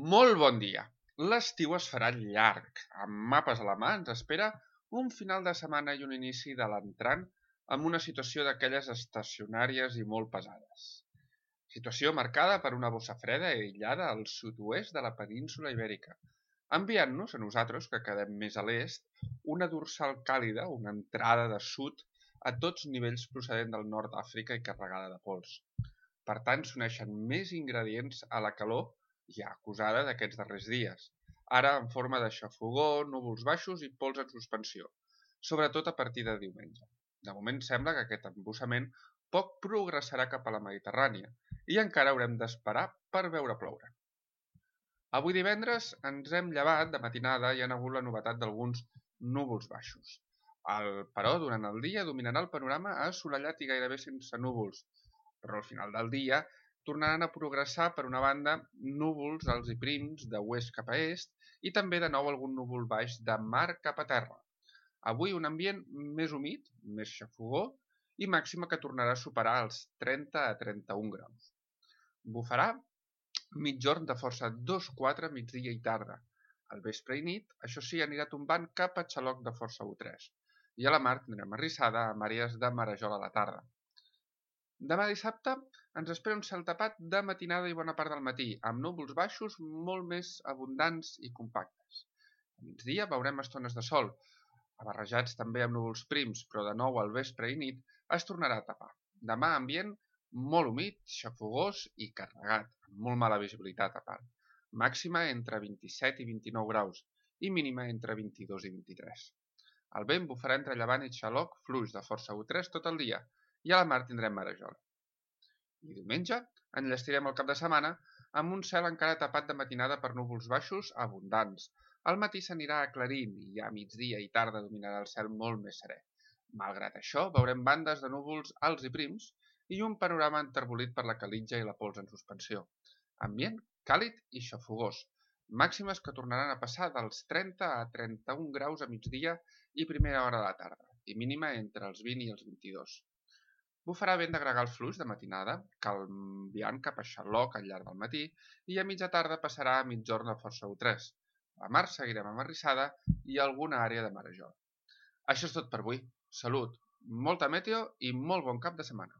Molt bon dia! L'estiu es farà llarg. Amb mapes a la mà ens espera un final de setmana i un inici de l'entrant amb una situació d'aquelles estacionàries i molt pesades. Situació marcada per una bossa freda aïllada al sud-oest de la península Ibèrica, enviant-nos a nosaltres, que quedem més a l'est, una dorsal càlida, una entrada de sud a tots nivells procedent del nord d'Àfrica i carregada de pols. Per tant, s'uneixen més ingredients a la calor ja acusada d'aquests darrers dies, ara en forma de xafogó, núvols baixos i pols en suspensió, sobretot a partir de diumenge. De moment sembla que aquest embussament poc progressarà cap a la Mediterrània i encara haurem d'esperar per veure ploure. Avui divendres ens hem llevat de matinada i ha hagut la novetat d'alguns núvols baixos. Però durant el dia dominarà el panorama assolellat i gairebé sense núvols, però al final del dia tornaran a progressar per una banda núvols alts i prims de oest cap a est i també de nou algun núvol baix de mar cap a terra. Avui un ambient més humit, més xafogó i màxima que tornarà a superar els 30 a 31 graus. Bufarà mitjorn de força 2-4 migdia i tarda. Al vespre i nit, això sí, anirà tombant cap a xaloc de força 1-3 i a la mar tindrem arrissada amb àrees de marejol a la tarda. Demà dissabte ens espera un cel tapat de matinada i bona part del matí, amb núvols baixos molt més abundants i compactes. A migdia veurem estones de sol, barrejats també amb núvols prims, però de nou al vespre i nit es tornarà a tapar. Demà ambient molt humit, xafogós i carregat, amb molt mala visibilitat a part. Màxima entre 27 i 29 graus i mínima entre 22 i 23. El vent bufarà entre llevant i xaloc fluix de força 1-3 tot el dia, i a la mar tindrem marejol. I diumenge enllestirem el cap de setmana amb un cel encara tapat de matinada per núvols baixos abundants. Al matí s'anirà aclarint i a migdia i tarda dominarà el cel molt més serè. Malgrat això, veurem bandes de núvols alts i prims i un panorama enterbolit per la calitja i la pols en suspensió. Ambient càlid i xafogós, màximes que tornaran a passar dels 30 a 31 graus a migdia i primera hora de la tarda, i mínima entre els 20 i els 22. Bufarà vent de gregal fluix de matinada, canviant cap a xaloc al llarg del matí, i a mitja tarda passarà a mitjorn de força 1-3. A la mar seguirem amb arrissada i alguna àrea de marejol. Això és tot per avui. Salut, molta meteo i molt bon cap de setmana.